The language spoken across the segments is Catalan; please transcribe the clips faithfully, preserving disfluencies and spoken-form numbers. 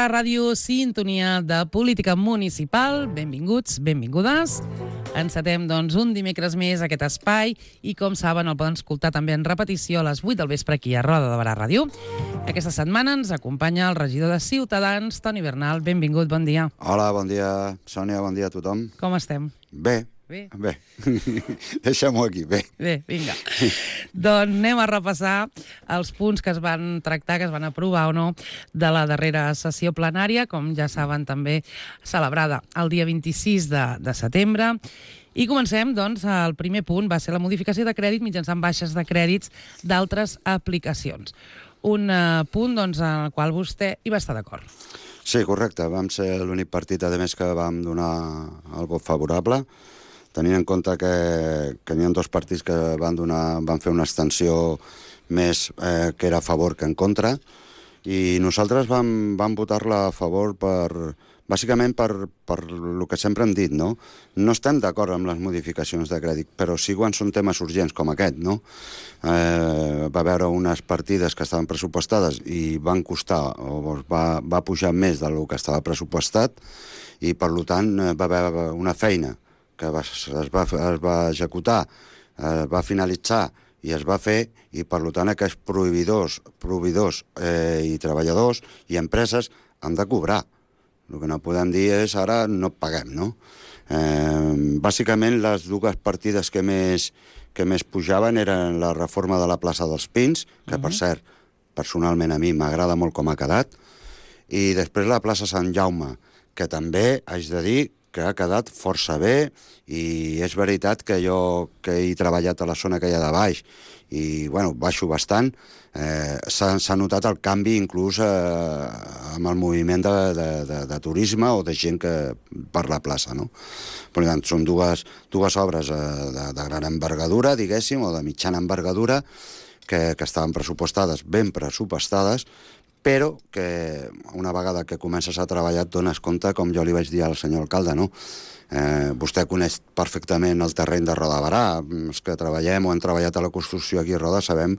la ràdio Sintonia de Política Municipal. Benvinguts, benvingudes. Encetem, doncs, un dimecres més aquest espai i, com saben, el poden escoltar també en repetició a les vuit del vespre aquí a Roda de Barà Ràdio. Aquesta setmana ens acompanya el regidor de Ciutadans, Toni Bernal. Benvingut, bon dia. Hola, bon dia, Sònia, bon dia a tothom. Com estem? Bé. Bé? Bé. Deixem-ho aquí, bé. Bé, vinga. Doncs anem a repassar els punts que es van tractar, que es van aprovar o no, de la darrera sessió plenària, com ja saben també celebrada el dia vint-i-sis de, de setembre. I comencem, doncs, el primer punt va ser la modificació de crèdit mitjançant baixes de crèdits d'altres aplicacions. Un uh, punt, doncs, en el qual vostè hi va estar d'acord. Sí, correcte. Vam ser l'únic partit, a més, que vam donar el vot favorable, tenint en compte que, que n'hi ha dos partits que van, donar, van fer una extensió més eh, que era a favor que en contra, i nosaltres vam, vam votar-la a favor per, bàsicament per, per el que sempre hem dit, no? No estem d'acord amb les modificacions de crèdit, però sí quan són temes urgents com aquest, no? Eh, va haver unes partides que estaven pressupostades i van costar, o va, va pujar més del que estava pressupostat, i per tant va haver una feina que va, es, va, es va executar, es va finalitzar i es va fer, i per tant aquests proveïdors, proveïdors eh, i treballadors i empreses han de cobrar. El que no podem dir és ara no paguem, no? Eh, bàsicament les dues partides que més, que més pujaven eren la reforma de la plaça dels Pins, que per cert, personalment a mi m'agrada molt com ha quedat, i després la plaça Sant Jaume, que també haig de dir que ha quedat força bé, i és veritat que jo que he treballat a la zona que hi ha de baix i, bueno, baixo bastant, eh, s'ha notat el canvi inclús eh, amb el moviment de, de, de, de turisme o de gent que per la plaça, no? Per tant, són dues, dues obres eh, de, de gran envergadura, diguéssim, o de mitjana envergadura, que, que estaven pressupostades, ben pressupostades, però que una vegada que comences a treballar et dones compte, com jo li vaig dir al senyor alcalde, no? Eh, vostè coneix perfectament el terreny de Roda de Barà. Els que treballem o hem treballat a la construcció aquí a Roda sabem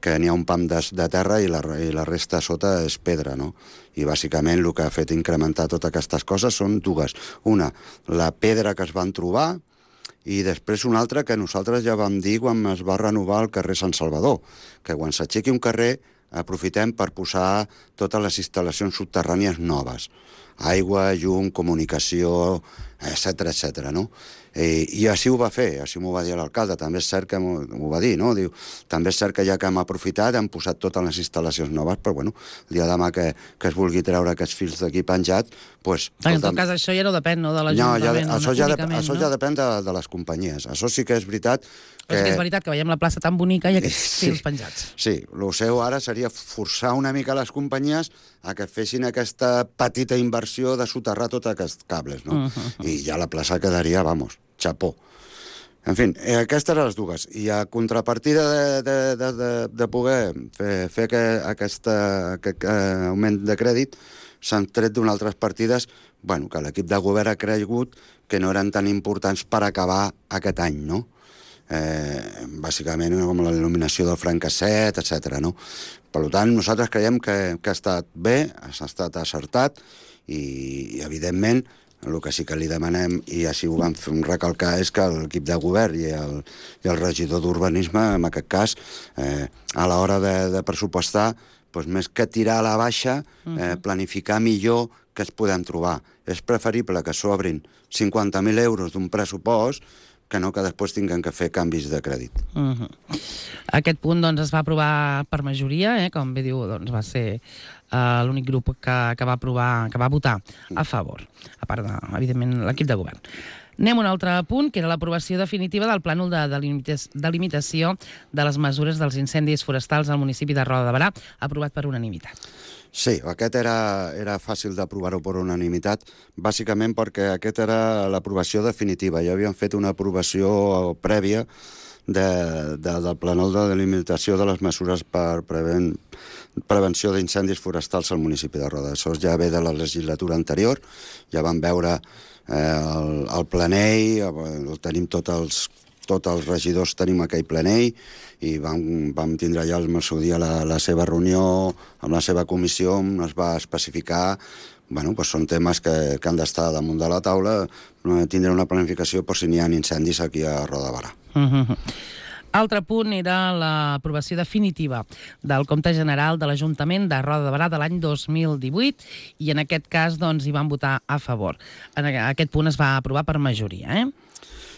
que n'hi ha un pam de, de terra i la, i la resta sota és pedra, no? I bàsicament el que ha fet incrementar totes aquestes coses són dues. Una, la pedra que es van trobar, i després una altra que nosaltres ja vam dir quan es va renovar el carrer Sant Salvador, que quan s'aixequi un carrer aprofitem per posar totes les instal·lacions subterrànies noves. Aigua, llum, comunicació, etcètera, etcètera, no? I, I així ho va fer, així m'ho va dir l'alcalde. També és cert que m'ho va dir, no? Diu, també és cert que ja que hem aprofitat, hem posat totes les instal·lacions noves, però bueno, el dia de demà que, que es vulgui treure aquests fils d'aquí penjats, doncs... En tot cas, això ja no depèn, no?, de l'Ajuntament. No, ja, això, ja, això no? ja depèn de, de les companyies. Això sí que és veritat que... Però sí que és veritat que veiem la plaça tan bonica i aquests sí, fils penjats. Sí, el seu ara seria forçar una mica les companyies a que fessin aquesta petita inversió de soterrar tots aquests cables, no? Uh -huh. I ja la plaça quedaria, vamos, xapó. En fi, eh, aquestes eren les dues. I a contrapartida de, de, de, de, de poder fer, fer que, aquesta, aquest eh, augment de crèdit, s'han tret d'unes altres partides, bueno, que l'equip de govern ha cregut que no eren tan importants per acabar aquest any, no? Eh, bàsicament com la il·luminació del francasset, etcètera, no? Per tant, nosaltres creiem que, que ha estat bé, ha estat acertat, i, i evidentment el que sí que li demanem, i així ho vam recalcar, és que l'equip de govern i el, i el regidor d'urbanisme, en aquest cas, eh, a l'hora de, de pressupostar, doncs més que tirar a la baixa, eh, planificar millor què es podem trobar. És preferible que s'obrin cinquanta mil euros d'un pressupost que no que després tinguem que fer canvis de crèdit. Uh -huh. Aquest punt, doncs, es va aprovar per majoria, eh? Com bé diu, doncs, va ser uh, l'únic grup que, que va aprovar, que va votar a favor, a part de, evidentment, l'equip de govern. Anem a un altre punt, que era l'aprovació definitiva del plànol de delimitació de les mesures dels incendis forestals al municipi de Roda de Barà, aprovat per unanimitat. Sí, aquest era, era fàcil d'aprovar-ho per unanimitat, bàsicament perquè aquesta era l'aprovació definitiva. Ja havíem fet una aprovació prèvia de, de, del plànol de delimitació de les mesures per preven, prevenció d'incendis forestals al municipi de Roda. Això ja ve de la legislatura anterior, ja vam veure eh, el, el planell, el tenim tots els tots els regidors tenim aquell plenell i vam, vam tindre ja al seu dia la, la seva reunió amb la seva comissió on es va especificar, bueno, doncs són temes que, que han d'estar damunt de la taula, tindre una planificació per si n'hi ha incendis aquí a Roda de Barà. Uh-huh. Altre punt era l'aprovació definitiva del compte general de l'Ajuntament de Roda de Barà de l'any dos mil divuit i en aquest cas doncs, hi van votar a favor. En aquest punt es va aprovar per majoria, eh?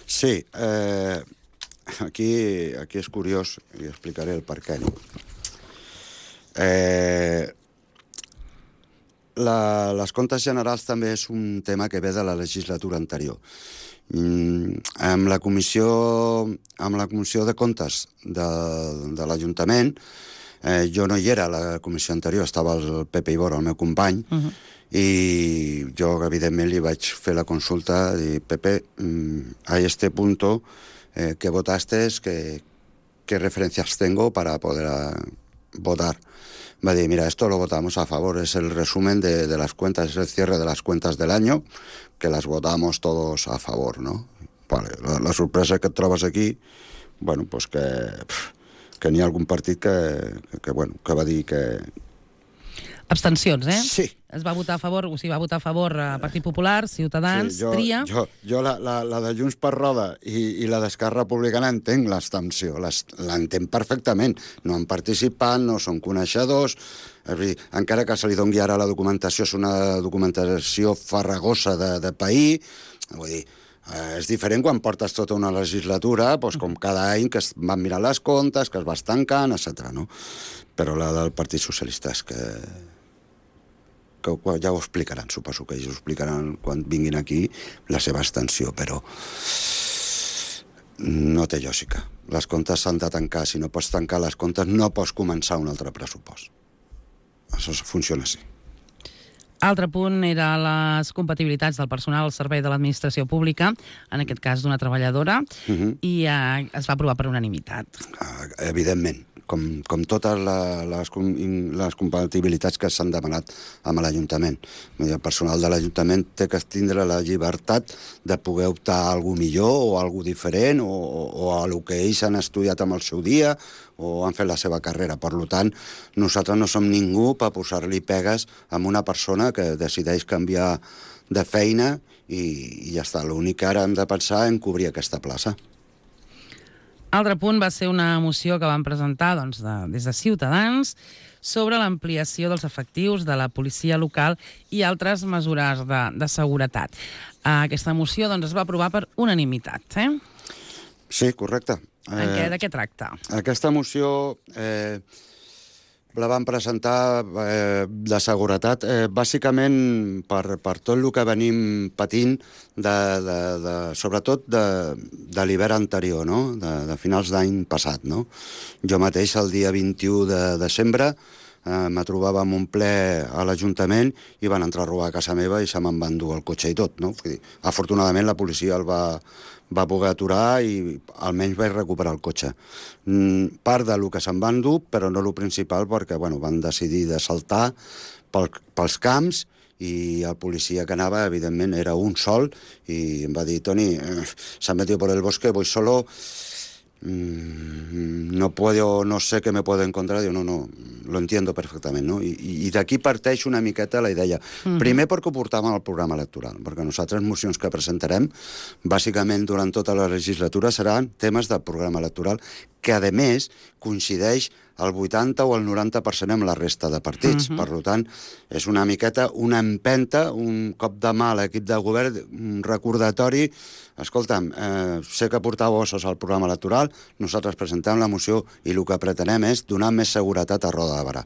Sí, eh, aquí, aquí és curiós i explicaré el per què. No? Eh, la, les comptes generals també és un tema que ve de la legislatura anterior. Mm, amb la comissió, amb la comissió de comptes de, de l'Ajuntament, eh, jo no hi era a la comissió anterior, estava el Pepe Ibora, el meu company, uh-huh. I jo, evidentment, li vaig fer la consulta i, Pepe, a este punto, eh, ¿qué votaste? ¿Qué, ¿Qué referencias tengo para poder votar? Va a decir, mira, esto lo votamos a favor, es el resumen de, de las cuentas, es el cierre de las cuentas del año, que las votamos todos a favor, ¿no? Vale, la, la sorpresa que et trobes aquí, bueno, pues que, que n'hi ha algun partit que, que, que, bueno, que va dir que... Abstencions, eh? Sí. Es va votar a favor, o sigui, va votar a favor a Partit Popular, Ciutadans, sí, jo, Tria... Jo, jo la, la, la de Junts per Roda i, i la d'Esquerra Republicana entenc l'abstenció, l'entenc perfectament. No han participat, no són coneixedors, és dir, encara que se li doni ara la documentació, és una documentació farragosa de, de país, vull dir, eh, és diferent quan portes tota una legislatura, doncs, com cada any que es van mirar les comptes, que es va estancant, etcètera. No? Però la del Partit Socialista és que... que ja ho explicaran, suposo que ells ho explicaran quan vinguin aquí, la seva extensió, però no té lògica. Les comptes s'han de tancar. Si no pots tancar les comptes, no pots començar un altre pressupost. Això funciona així. Altre punt era les compatibilitats del personal al servei de l'administració pública, en aquest cas d'una treballadora, uh-huh. i eh, es va aprovar per unanimitat. Uh, evidentment. Com, com totes la, les, les compatibilitats que s'han demanat amb l'Ajuntament. El personal de l'Ajuntament té que tindre la llibertat de poder optar a alguna millor o a alguna diferent o, o, o a el que ells han estudiat amb el seu dia o han fet la seva carrera. Per tant, nosaltres no som ningú per posar-li pegues a una persona que decideix canviar de feina i, i ja està. L'únic que ara hem de pensar en cobrir aquesta plaça. Altre punt va ser una moció que van presentar doncs, de, des de Ciutadans sobre l'ampliació dels efectius de la policia local i altres mesures de, de seguretat. Aquesta moció doncs, es va aprovar per unanimitat. Eh? Sí, correcte. En eh, què, de què tracta? Aquesta moció eh, la van presentar eh, de seguretat, eh, bàsicament per, per tot el que venim patint, de, de, de, sobretot de, de l'hivern anterior, no? de, de finals d'any passat. No? Jo mateix, el dia vint-i-u de desembre, eh, me trobava en un ple a l'Ajuntament i van entrar a robar a casa meva i se me'n van dur el cotxe i tot. No? Vull dir, afortunadament la policia el va... va poder aturar i almenys vaig recuperar el cotxe. Mm, part de lo que se'n van dur, però no lo principal, perquè bueno, van decidir de saltar pel, pels camps i el policia que anava, evidentment, era un sol i em va dir, Toni, eh, se han metido por el bosque, voy solo, mm, no puedo, no sé qué me puedo encontrar. Diu, no, no, lo entiendo perfectament, no? I, i d'aquí parteix una miqueta la idea. Mm-hmm. Primer perquè ho portàvem al programa electoral, perquè nosaltres mocions que presentarem, bàsicament durant tota la legislatura, seran temes del programa electoral, que a més coincideix el vuitanta o el noranta per cent amb la resta de partits. Mm-hmm. Per tant, és una miqueta una empenta, un cop de mà a l'equip de govern, un recordatori. Escolta'm, eh, sé que portàveu ossos al programa electoral, nosaltres presentem la moció i el que pretenem és donar més seguretat a Roda de Barà.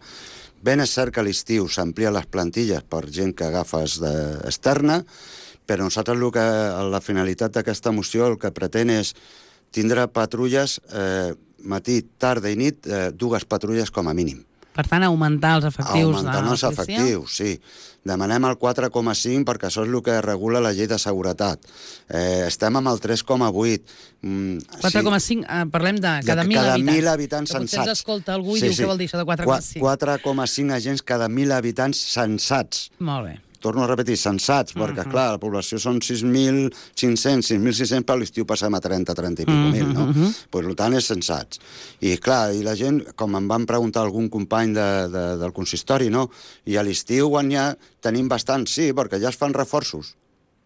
Ben és cert que a l'estiu s'amplien les plantilles per gent que agafes externa, però nosaltres el que, la finalitat d'aquesta moció el que pretén és tindre patrulles eh, matí, tarda i nit, eh, dues patrulles com a mínim. Per tant, augmentar els efectius augmentar de la els policia? efectius, sí. Demanem el quatre coma cinc perquè això és el que regula la llei de seguretat. Eh, estem amb el tres coma vuit. Mm, quatre coma cinc, sí. eh, parlem de cada, de mil cada habitants. mil habitants que sensats. Potser ens escolta algú i sí, diu sí. què vol dir això de quatre coma cinc. quatre coma cinc agents cada mil habitants sensats. Molt bé. torno a repetir, sensats, perquè, uh -huh. clar, la població són sis mil cinc-cents, sis mil sis-cents, però a l'estiu passem a trenta, trenta i pico mil, no? Uh -huh. Pues, per tant, és sensats. I, clar, i la gent, com em van preguntar algun company de, de, del consistori, no? I a l'estiu, quan ja tenim bastant, sí, perquè ja es fan reforços.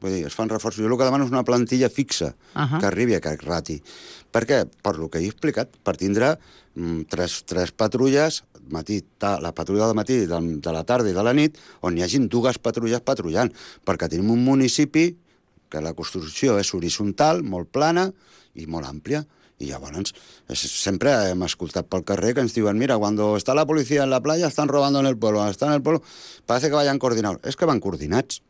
Vull dir, es fan reforços. Jo el que demano és una plantilla fixa uh -huh. que arribi a aquest rati. Per què? Per lo que he explicat, per tindre mm, tres, tres patrulles, matí, ta, la patrulla del matí, de, de la tarda i de la nit, on hi hagin dues patrulles patrullant, perquè tenim un municipi que la construcció és horitzontal, molt plana i molt àmplia. I llavors, és, sempre hem escoltat pel carrer que ens diuen, mira, cuando está la policía en la playa, están robando en el pueblo, están en el pueblo, parece que vayan coordinados. És que van coordinats.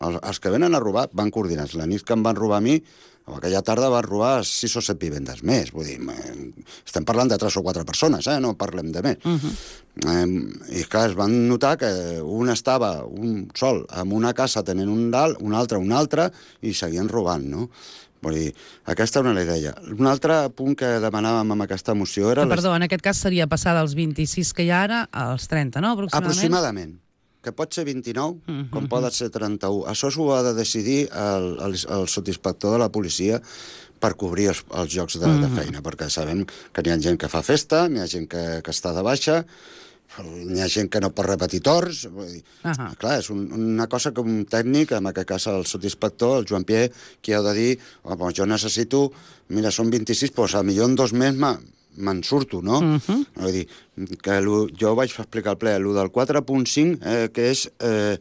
Els, els que venen a robar van coordinats. La nit que em van robar a mi, o aquella tarda van robar sis o set vivendes més. Vull dir, estem parlant de tres o quatre persones, eh? No parlem de més. Uh -huh. eh, I clar, es van notar que un estava un sol en una casa tenint un dalt, un altre un altre, i seguien robant, no? Vull dir, aquesta era una idea. Un altre punt que demanàvem amb aquesta moció era... Que, perdó, les... en aquest cas seria passar dels vint-i-sis que hi ha ara als trenta, no? Aproximadament. Aproximadament. Que pot ser vint-i-nou, uh -huh. com poden ser trenta-u. Això s'ho ha de decidir el, el, el sotsinspector de la policia per cobrir els, els llocs de, uh -huh. de feina, perquè sabem que n'hi ha gent que fa festa, n'hi ha gent que, que està de baixa, n'hi ha gent que no pot repetir torns. Vull dir, uh -huh. Clar, és un, una cosa que un tècnic, en aquest cas el sotsinspector, el Joan Pierre, qui ha de dir, oh, doncs jo necessito, mira, són vint-i-sis, doncs potser en dos mesos me'n surto, no? Uh -huh. Vull dir, que jo vaig explicar al ple, el del quatre punt cinc, eh, que és eh,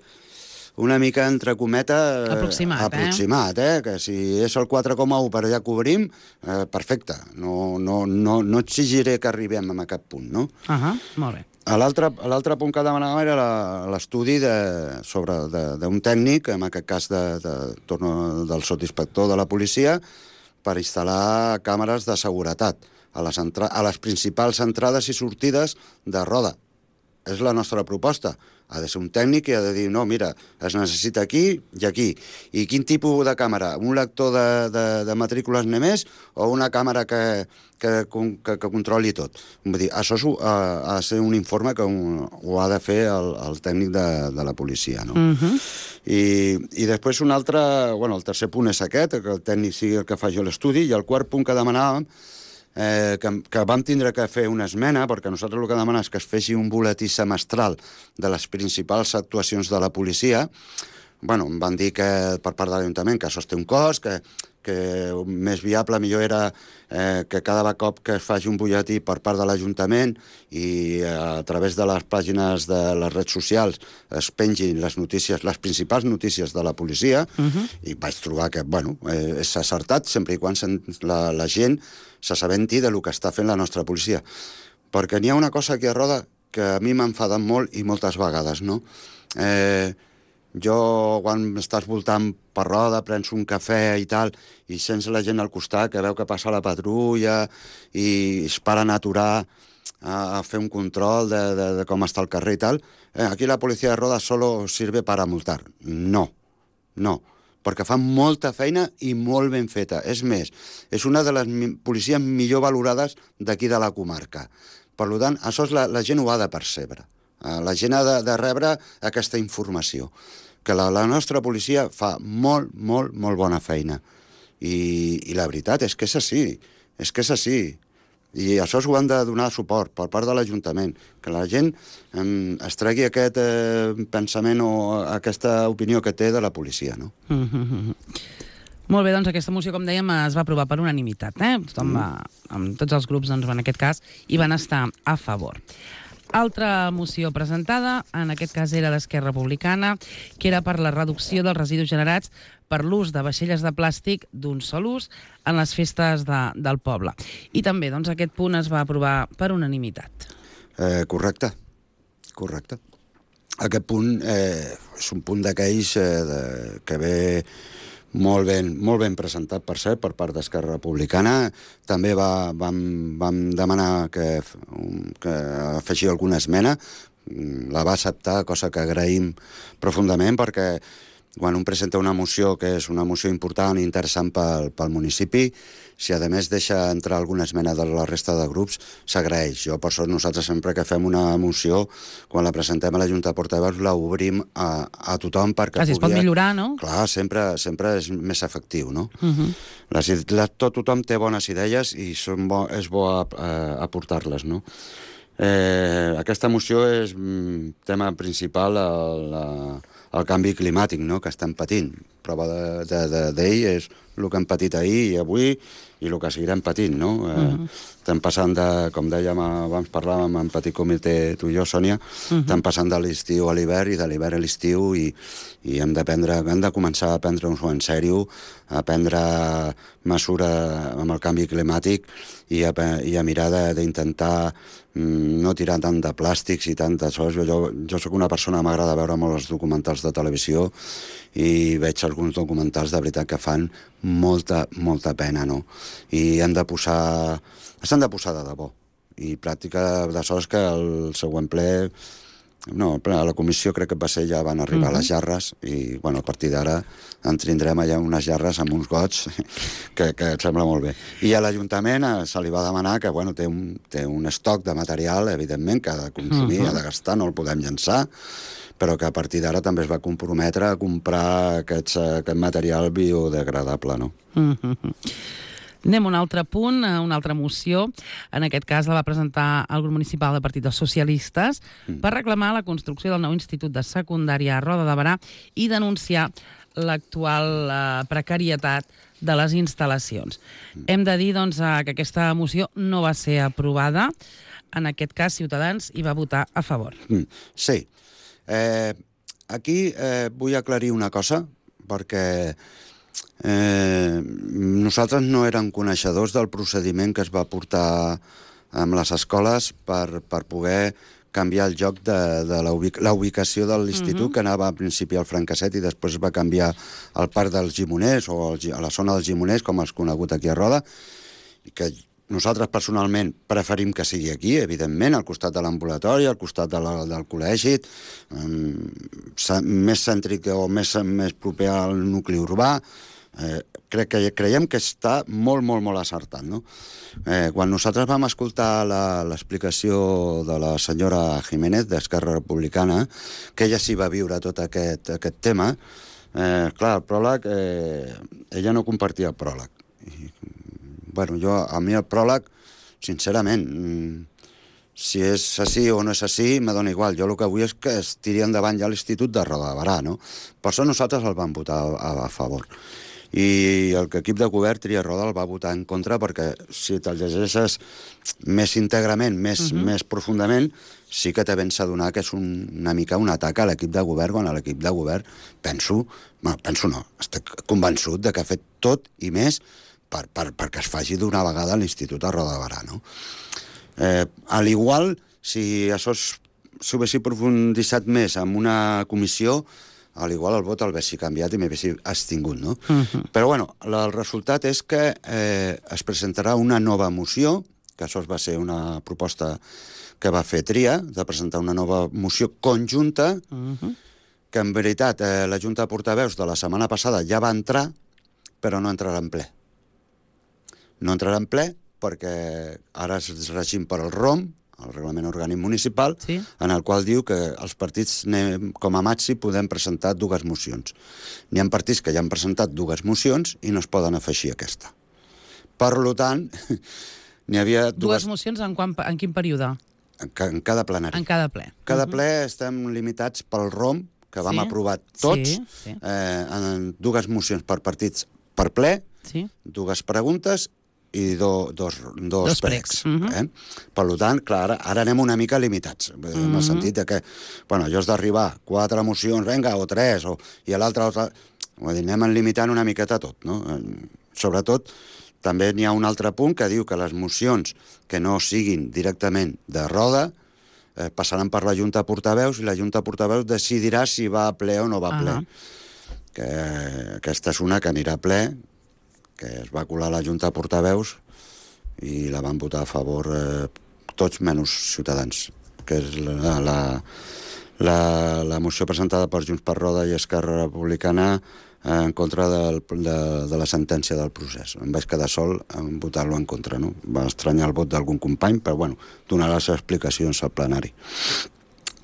una mica entre cometa... Eh, aproximat, aproximat, eh? eh? Que si és el quatre coma u per allà cobrim, eh, perfecte. No, no, no, no exigiré que arribem a aquest punt, no? Uh -huh. Molt bé. L'altre punt que demanàvem era l'estudi de, sobre d'un tècnic, en aquest cas de, de, torno, del sotsinspector de la policia, per instal·lar càmeres de seguretat a les, a les principals entrades i sortides de Roda. És la nostra proposta. Ha de ser un tècnic i ha de dir, no, mira, es necessita aquí i aquí. I quin tipus de càmera? Un lector de, de, de matrícules només o una càmera que, que, que, que controli tot? Vull dir, això és, ha, ha de ser un informe que un, ho ha de fer el, el tècnic de, de la policia, no? Uh -huh. I, I després un altre... Bueno, el tercer punt és aquest, que el tècnic sigui el que faci l'estudi, i el quart punt que demanàvem Eh, que, que vam tindre que fer una esmena, perquè nosaltres el que demanem és que es feixi un boletí semestral de les principals actuacions de la policia. Bueno, em van dir que per part de l'Ajuntament que això té un cost, que, que més viable millor era eh, que cada cop que es faci un butlletí per part de l'Ajuntament i eh, a través de les pàgines de les redes socials es pengin les notícies, les principals notícies de la policia, uh -huh. i vaig trobar que, bueno, eh, és acertat sempre i quan la, la gent s'assabenti de lo que està fent la nostra policia. Perquè n'hi ha una cosa aquí a Roda que a mi m'ha enfadat molt i moltes vegades, no? Eh, jo, quan estàs voltant per Roda, prens un cafè i tal, i sents la gent al costat que veu que passa la patrulla i es paren a aturar a, a fer un control de, de, de com està el carrer i tal. Eh, aquí la policia de Roda solo sirve para multar. No, no. Perquè fan molta feina i molt ben feta. És més, és una de les policies millor valorades d'aquí de la comarca. Per tant, això és la, la gent ho ha de percebre. La gent ha de, de rebre aquesta informació. Que la, la nostra policia fa molt, molt, molt bona feina. I, i la veritat és que és així. És que és així. I això s'ho han de donar suport per part de l'Ajuntament, que la gent eh, es tregui aquest eh, pensament o aquesta opinió que té de la policia, no? Mm -hmm. Molt bé, doncs aquesta moció, com dèiem, es va aprovar per unanimitat, eh? Tothom mm. va, amb tots els grups, doncs, en aquest cas, hi van estar a favor. Altra moció presentada, en aquest cas era d'Esquerra Republicana, que era per la reducció dels residus generats per l'ús de vaixelles de plàstic d'un sol ús en les festes de, del poble. I també, doncs, aquest punt es va aprovar per unanimitat. Eh, correcte, correcte. Aquest punt eh, és un punt d'aquells eh, que ve molt ben, molt ben presentat, per cert, per part d'Esquerra Republicana. També va, vam, vam demanar que, que afegir alguna esmena. La va acceptar, cosa que agraïm profundament, perquè quan un presenta una moció que és una moció important i interessant pel, pel municipi, si a més deixa entrar alguna esmena de la resta de grups, s'agraeix. Jo, per sort, nosaltres sempre que fem una moció, quan la presentem a la Junta de Portaveus, la obrim a, a tothom perquè Quasi pugui... es pot millorar, no? Clar, sempre, sempre és més efectiu, no? Uh -huh. les, les, tot tothom té bones idees i són bo, és bo a, a, aportar-les, no? Eh, aquesta moció és mm, tema principal el, el canvi climàtic, no?, que estem patint. Prova d'ell de, de, de, és el que hem patit ahir i avui i el que seguirem patint, no? Eh, uh -huh. Estem passant de, com dèiem abans, parlàvem en petit comitè, tu i jo, Sònia, uh -huh. estem passant de l'estiu a l'hivern i de l'hivern a l'estiu i, i hem de prendre, hem de començar a prendre-nos-ho en sèrio, a prendre mesura amb el canvi climàtic i a, i a mirar d'intentar no tirar tant de plàstics i tant de sos. Jo, jo sóc una persona que m'agrada veure molt els documentals de televisió i veig alguns documentals de veritat que fan molta, molta pena, no? I hem de posar... s'han de posar de debò. I pràctica de sols que el següent ple... No, a la comissió crec que va ser, ja van arribar uh -huh. les jarres i, bueno, a partir d'ara en tindrem allà unes jarres amb uns gots que, que et sembla molt bé. I a l'Ajuntament se li va demanar que, bueno, té un, té un estoc de material, evidentment, que ha de consumir, uh -huh. ha de gastar, no el podem llançar, però que a partir d'ara també es va comprometre a comprar aquests, aquest material biodegradable, no? Uh -huh. Anem a un altre punt, a una altra moció. En aquest cas la va presentar el grup municipal del Partit dels Socialistes mm. per reclamar la construcció del nou institut de secundària a Roda de Berà i denunciar l'actual eh, precarietat de les instal·lacions. Mm. Hem de dir, doncs, que aquesta moció no va ser aprovada. En aquest cas, Ciutadans hi va votar a favor. Mm. Sí. Eh, aquí eh, vull aclarir una cosa, perquè Eh, nosaltres no érem coneixedors del procediment que es va portar amb les escoles per, per poder canviar el lloc de, de la, ubic la ubicació de l'institut, uh -huh. que anava al principi al Francasset i després es va canviar al Parc dels Gimoners o al, a la zona dels Gimoners, com és conegut aquí a Roda, i que nosaltres personalment preferim que sigui aquí, evidentment, al costat de l'ambulatori, al costat de la, del col·legi, um, més cèntric o més, més proper al nucli urbà. Eh, crec que creiem que està molt, molt, molt acertat, no? Eh, quan nosaltres vam escoltar l'explicació de la senyora Jiménez, d'Esquerra Republicana, que ella sí va viure tot aquest, aquest tema, eh, clar, el pròleg, eh, ella no compartia el pròleg. I, bueno, jo, a mi el pròleg, sincerament, si és així o no és així, me dona igual. Jo el que vull és que es tiri endavant ja l'Institut de Roda de Berà, no? Per això nosaltres el vam votar a, a favor. I el que equip de govern, Tria Roda, el va votar en contra perquè si te'l llegeixes més íntegrament, més, uh -huh. més profundament, sí que te vens a donar que és un, una mica un atac a l'equip de govern, quan a l'equip de govern penso, bueno, penso no, estic convençut de que ha fet tot i més per, per, perquè es faci d'una vegada a l'Institut de Roda de Berà, no? Eh, a l'igual, si això s'ho haguessi profunditzat més en una comissió, a l'igual el vot el haguessi canviat i m'haguessi abstingut, no? Uh -huh. Però, bueno, el resultat és que eh, es presentarà una nova moció, que això va ser una proposta que va fer Tria, de presentar una nova moció conjunta, uh -huh. que en veritat eh, la Junta de Portaveus de la setmana passada ja va entrar, però no entrarà en ple. No entrarà en ple perquè ara es regim per el R O M, el Reglament Orgànic Municipal, sí. en el qual diu que els partits, com a màxim, podem presentar dues mocions. N'hi ha partits que ja han presentat dues mocions i no es poden afegir aquesta. Per tant, n'hi havia dues... Dues mocions en, quan, en quin període? En, en cada plenari. En cada ple. Cada uh -huh. ple estem limitats pel R O M, que vam sí. aprovar tots, sí, sí. Eh, en dues mocions per partits per ple, sí. dues preguntes i do, dos, dos, dos pregs. Uh -huh. eh? Per tant, clar, ara, ara anem una mica limitats, uh -huh. en el sentit de que, bueno, jo has d'arribar quatre mocions, vinga, o tres, o, i a l'altre... Anem limitant una miqueta tot, no? Sobretot, també n'hi ha un altre punt que diu que les mocions que no siguin directament de Roda eh, passaran per la Junta de Portaveus i la Junta de Portaveus decidirà si va a ple o no va a ple. Uh -huh. que aquesta és una que anirà a ple, que es va colar a la Junta de Portaveus i la van votar a favor eh, tots menys Ciutadans, que és la, la, la, la moció presentada per Junts per Roda i Esquerra Republicana en contra del, de, de la sentència del procés. Em vaig quedar sol en votar-lo en contra, no? Va estranyar el vot d'algun company, però bueno, donar les explicacions al plenari.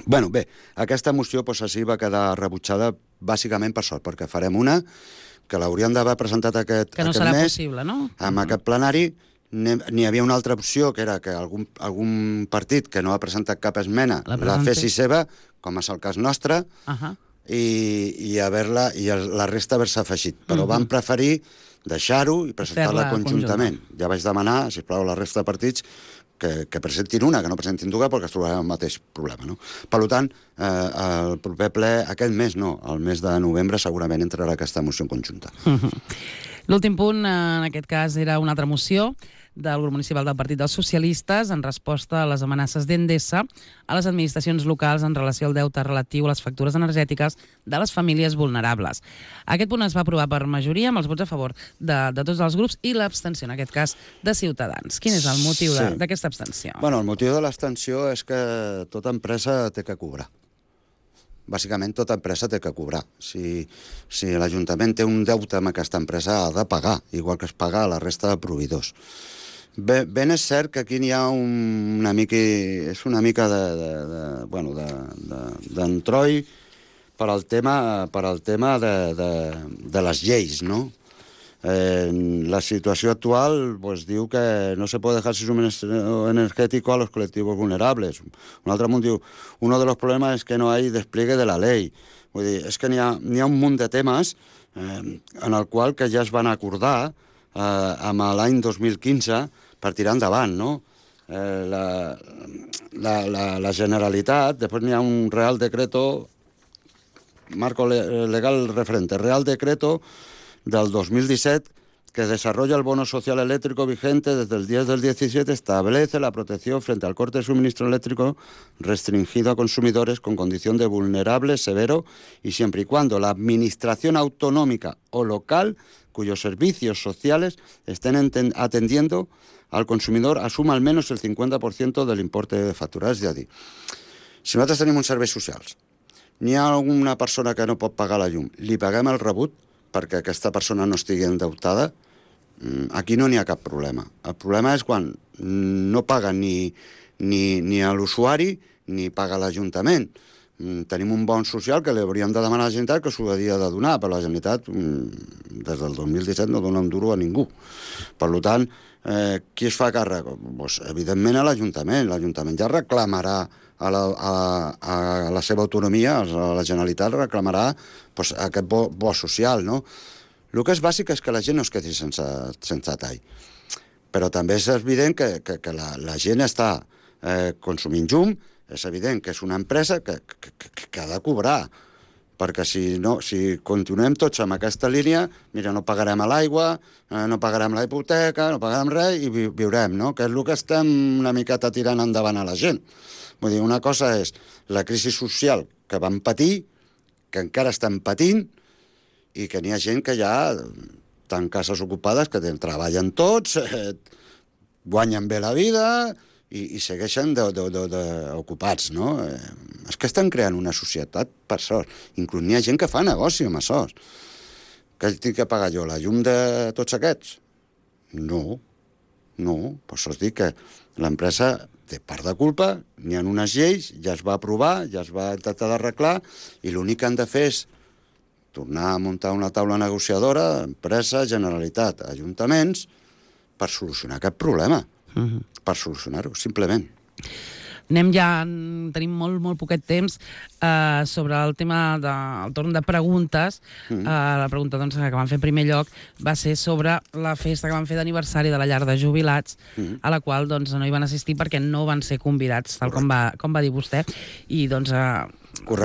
Bueno, bé, aquesta moció doncs, així va quedar rebutjada bàsicament per sort, perquè farem una que l'hauríem d'haver presentat aquest, que no aquest serà mes, possible, no? amb uh-huh. aquest plenari. N'hi havia una altra opció, que era que algun, algun partit que no ha presentat cap esmena la, la fessi seva, com és el cas nostre, uh-huh. i, i, haver-la, i el, la resta haver-se afegit. Però uh-huh. van preferir deixar-ho i presentar-la conjuntament. Conjunta. Ja vaig demanar, sisplau, a la resta de partits que, que presentin una, que no presentin dues, perquè es trobaran el mateix problema. No? Per tant, eh, el proper ple, aquest mes no, el mes de novembre segurament entrarà aquesta moció en conjunta. Uh-huh. L'últim punt, en aquest cas, era una altra moció del grup municipal del Partit dels Socialistes en resposta a les amenaces d'Endesa a les administracions locals en relació al deute relatiu a les factures energètiques de les famílies vulnerables. Aquest punt es va aprovar per majoria amb els vots a favor de, de tots els grups i l'abstenció, en aquest cas, de Ciutadans. Quin és el motiu sí. d'aquesta abstenció? Bueno, el motiu de l'abstenció és que tota empresa té que cobrar. Bàsicament, tota empresa té que cobrar. Si, si l'Ajuntament té un deute amb aquesta empresa, ha de pagar, igual que es paga a la resta de proveïdors. Bé, ben és cert que aquí n'hi ha un, una mica... És una mica de... de, de bueno, de, de, d'entroi per al tema, per al tema de, de, de les lleis, no? Eh, la situació actual pues, diu que no se puede dejar suministro energético a los colectivos vulnerables. Un altre munt diu, uno de los problemas es que no hay despliegue de la ley. Vull dir, és que n'hi ha, n'hi ha un munt de temes eh, en el qual que ja es van acordar eh, amb l'any dos mil quinze per tirar endavant, no? Eh, la, la, la, la Generalitat, després n'hi ha un Real Decreto, marco legal referente, Real Decreto del dos mil disset, que desarrolla el bono social eléctrico vigente desde el diez del diecisiete, establece la protección frente al corte de suministro eléctrico restringido a consumidores con condición de vulnerable severo y siempre y cuando la administración autonómica o local cuyos servicios sociales estén atendiendo al consumidor assuma al menos el cincuenta por ciento del importe de factura. És a dir, si nosaltres tenim uns serveis socials, n'hi ha alguna persona que no pot pagar la llum, li paguem el rebut perquè aquesta persona no estigui endeutada, aquí no n'hi ha cap problema. El problema és quan no paga ni, ni, ni a l'usuari ni paga l'Ajuntament. Tenim un bon social que li hauríem de demanar a la Generalitat que s'ho hauria de donar, però la Generalitat des del dos mil disset no dona un duro a ningú. Per tant, eh, qui es fa càrrec? Pues, evidentment a l'Ajuntament. L'Ajuntament ja reclamarà a la, a, a la seva autonomia, a la Generalitat reclamarà pues, aquest bo, bo social, no? El que és bàsic és que la gent no es quedi sense, sense tall. Però també és evident que, que, que la, la gent està eh, consumint llum, és evident que és una empresa que, que, que, que ha de cobrar, perquè si, no, si continuem tots amb aquesta línia, mira, no pagarem a l'aigua, eh, no pagarem la hipoteca, no pagarem res i vi, viurem, no? Que és el que estem una miqueta tirant endavant a la gent. Vull dir, una cosa és la crisi social que vam patir, que encara estem patint, i que n'hi ha gent que ja estan cases ocupades, que treballen tots, eh, guanyen bé la vida i, i segueixen de, de, de, de ocupats, no? Eh, és que estan creant una societat per sort. Inclús n'hi ha gent que fa negoci amb això. Que tinc que pagar jo la llum de tots aquests? No, no. Per això es dic que l'empresa té part de culpa, n'hi ha unes lleis, ja es va aprovar, ja es va intentar d'arreglar, i l'únic que han de fer és tornar a muntar una taula negociadora, empresa, Generalitat, ajuntaments, per solucionar aquest problema. Uh-huh. Per solucionar-ho, simplement. Anem ja, tenim molt, molt poquet temps, eh, sobre el tema del torn de preguntes. Mm. Eh, la pregunta doncs, que vam fer en primer lloc va ser sobre la festa que van fer d'aniversari de la llar de jubilats, mm. a la qual doncs, no hi van assistir perquè no van ser convidats, tal com va, com va dir vostè. I doncs eh,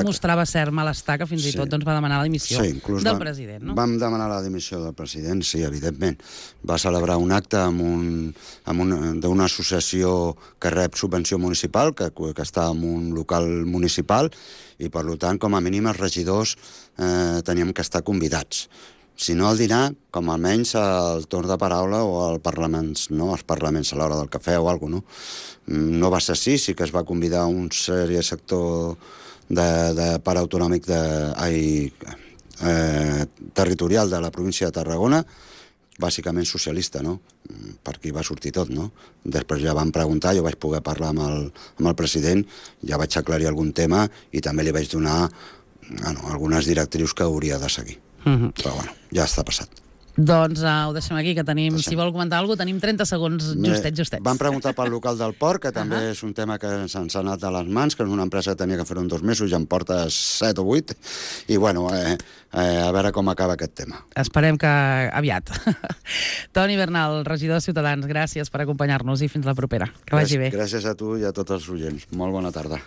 mostrava cert malestar que fins sí. i tot doncs, va demanar la dimissió sí, del vam, president. No? Vam demanar la dimissió del president, sí, evidentment. Va celebrar un acte amb un, amb un, d'una associació que rep subvenció municipal, que, que està en un local municipal, i per tant, com a mínim, els regidors eh, teníem que estar convidats. si no el dinar, com almenys el torn de paraula o el parlaments, no? Els parlaments a l'hora del cafè o alguna cosa, no? No va ser així, sí que es va convidar un sèrie sector de, de part autonòmic de, ai, eh, territorial de la província de Tarragona, bàsicament socialista, no? Per aquí va sortir tot, no? Després ja van preguntar, jo vaig poder parlar amb el, amb el president, ja vaig aclarir algun tema i també li vaig donar bueno, algunes directrius que hauria de seguir. Mm-hmm. Però bueno, ja està passat. Doncs uh, ho deixem aquí, que tenim, deixem. Si vol comentar alguna cosa, tenim trenta segons justets, justets. Van preguntar pel local del port, que també uh -huh. és un tema que se'ns ha anat a les mans, que és una empresa que tenia que fer-ho en dos mesos i en porta set o vuit, i bueno, eh, eh, a veure com acaba aquest tema. Esperem que aviat. Toni Bernal, regidor de Ciutadans, gràcies per acompanyar-nos i fins la propera. Que vagi bé. Gràcies a tu i a tots els oients. Molt bona tarda.